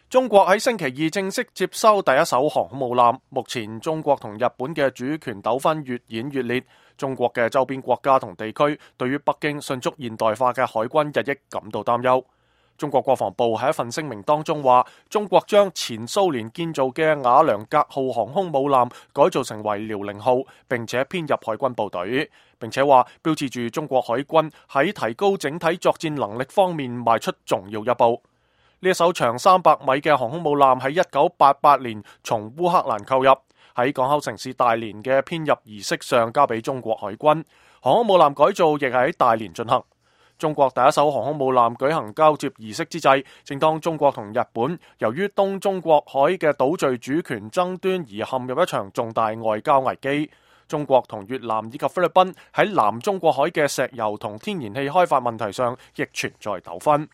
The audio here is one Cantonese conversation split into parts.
中國喺星期二正式接收第一艘航空母艦。目前中國同日本嘅主權糾紛越演越烈，中國嘅周邊國家同地區對於北京迅速現代化嘅海軍日益感到擔憂。中國國防部喺一份聲明當中話，中國將前蘇聯建造嘅瓦良格號航空母艦改造成為遼寧號，並且編入海軍部隊，並且話標誌住中國海軍喺提高整體作戰能力方面邁出重要一步。呢一艘長300米嘅航空母艦喺1988年從烏克蘭購入，喺港口城市大連嘅編入儀式上交俾中國海軍。航空母艦改造亦係喺大連進行。中國第一艘航空母艦舉行交接儀式之際，正當中國同日本由於東中國海嘅島嶼主權爭端而陷入一場重大外交危機。中國同越南以及菲律賓喺南中國海嘅石油同天然氣開發問題上亦存在糾紛。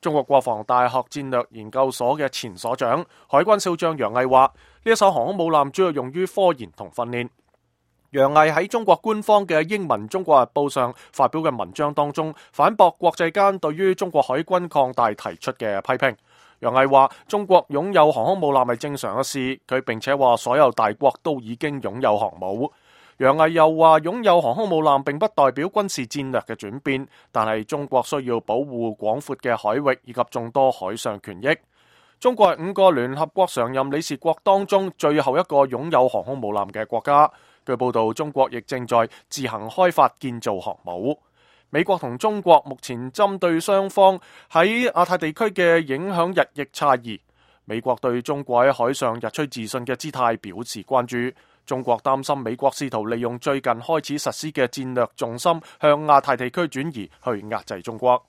中國國防大學戰略研究所嘅前所長、海軍少將楊毅話：呢一艘航空母艦主要用於科研同訓練。楊毅喺中國官方嘅英文《中國日報》上發表嘅文章當中，反駁國際間對於中國海軍擴大提出嘅批評。楊毅話：中國擁有航空母艦係正常嘅事，佢並且話所有大國都已經擁有航母。楊毅又話，擁有航空母艦並不代表軍事戰略嘅轉變，但係中國需要保護廣闊嘅海域以及眾多海上權益。中國係5個聯合國常任理事國當中最後一個擁有航空母艦嘅國家。據報道，中國亦正在自行開發建造航母。美國同中國目前針對雙方喺亞太地區嘅影響日益差異。美國對中國喺海上日趨自信嘅姿態表示關注。中國擔心美國試圖利用最近開始實施嘅戰略重心向亞太地區轉移，去壓制中國。